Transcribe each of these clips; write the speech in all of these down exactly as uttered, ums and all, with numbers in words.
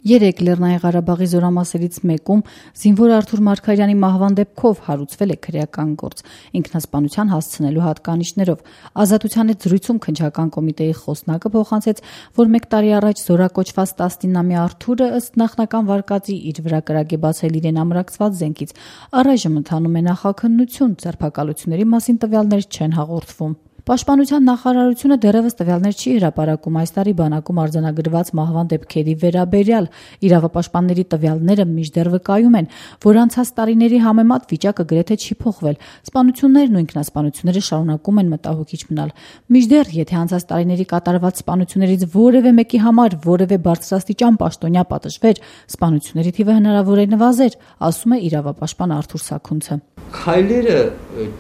Երեկ Լեռնային Ղարաբաղի զորամասերից մեկում զինվոր Արթուր Մարգարյանի մահվան դեպքով հարուցվել է քրեական գործ ինքնասպանության հասցնելու հատկանիշներով։ Ազատության հետ զրույցում քննչական կոմիտեի խոսնակը փոխանցեց, որ մեկ տարի առաջ զորակոչված տասնինամյա Արթուրը ըստ նախնական վարկածի իր վրա կրակ է բացել իրեն ամրացված զենքից։ Առայժմ ընթանում է նախաքննություն, ձերբակալությունների մասին տվյալներ չեն հաղորդվում։ Պաշտպանության նախարարությունը դեռևս տվյալներ չի հրապարակում այս տարի բանակում արձանագրված մահվան դեպքերի վերաբերյալ։ Իրավապաշտպանների տվյալները մինչդեռ վկայում են, որ անցած տարիների համեմատ վիճակը գրեթե չի փոխվել։ Սպանություններն ու ինքնասպանությունները շարունակում են մտահոգիչ մնալ։ Մինչդեռ, եթե անցած տարիների կատարված սպանություններից որևէ մեկի համար որևէ բարձրաստիճան պաշտոնյա պատժվեր, սպանությունների թիվը հնարավոր է նվազեր, ասում է իրավապաշտպան Արթուր Սաքունցը։ Քայլերը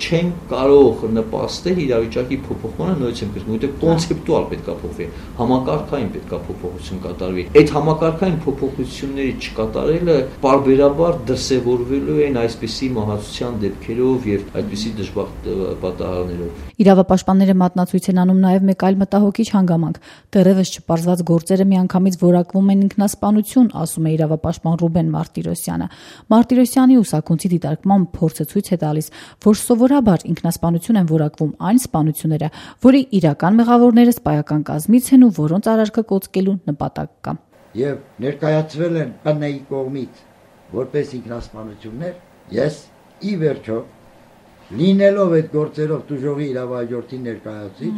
չեն կարող նպաստել իրավիճակի փոփոխմանը նույնիսկ կրկին, որտեղ կոնցեպտուալ պետք է փոխվի, համակարգային պետք է փոփոխություն կատարվի։ Այդ համակարգային փոփոխությունների չկատարելը պարբերաբար դրսևորվելու են այսպիսի մահացության դեպքերով եւ այդպիսի դժբախտ պատահարներով։ Իրավապաշտպանները մատնացույց են անում նաեւ մեկ այլ մտահոգիչ հանգամանք։ Դեռևս չպարզված գործերը միանգամից որակվում են ինքնասպանություն, ասում է իրավապաշտպան Ռուբեն Մարտիրոսյանը։ Մարտիրոսյանի ու Սաքունցի դիտարկման փորձը ցույց է տալիս, որ սովորաբար ինքնասպանություն են որակվում այն սպանությունները, որի իրական մեղավորները սպայական կազմից են ու որոնց արարքը կոծկելու նպատակ կա։ Եվ ներկայացվել են ՊՆ-ի կողմից որպես ինքնասպանություններ, ես ի վերջո լինելով այդ գործերով դժողի իրավահաջորդի ներկայացուցիչ,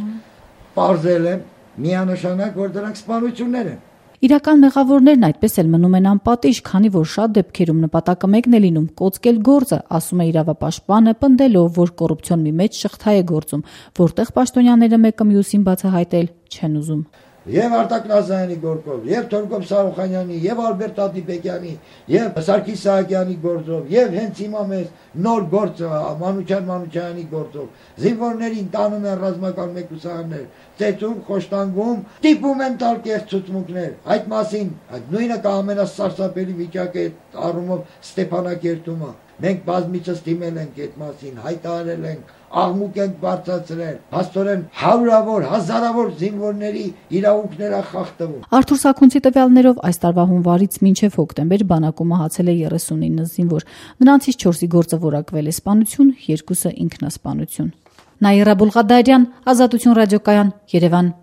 պարզել եմ միանշանակ, որ դրանք սպանություններ են։ Իրական մեղավորներն այդպես էլ մնում են անպատիժ, քանի որ շատ դեպքերում նպատակը մեկն է լինում՝ կոծկել գործը, ասում է իրավապաշտպանը, պնդելով, որ կոռուպցիոն մի մեծ շղթա է գործում, որտեղ պաշտոնյաները մեկը մյուսին բացահայտել չեն ուզում։ Եվ Արտակ Նազարյանի գործով, եւ Թորգոմ Սարոխանյանի, եւ Ալբերտ Ադիբեկյանի, եւ Սարգիս Սահակյանի գործով, եւ հենց հիմա մեզ նոր գործը Մանուչյան Մանուչյանի գործով, զինվորներին տանում են ռազմական մեկուսարաններ, ծեծում, խոշտանգում, տիպում են տալ կեղծ ցուցմունքներ։ Այդ մասին, այդ նույնը կա ամենասարսափելի վիճակը առումով Ստեփանակերտումը։ Մենք բազմիցս դիմել ենք այդ մասին, հայտարարել ենք, աղմուկ ենք բարձրացրել, հաստորեն հարյուրավոր, հազարավոր զինվորների իրավունքները խախտվում։ Արթուր Սաքունցի տվյալներով այս տարվա հունվարից մինչև հոկտեմբեր բանակում մահացել է երեսունինը զինվոր։ Նրանցից չորսի գործը որակվել է սպանություն, երկուսը ինքնասպանություն։ Նաիրա Բուլղադարյան, Ազատություն ռադիոկայան, Երևան։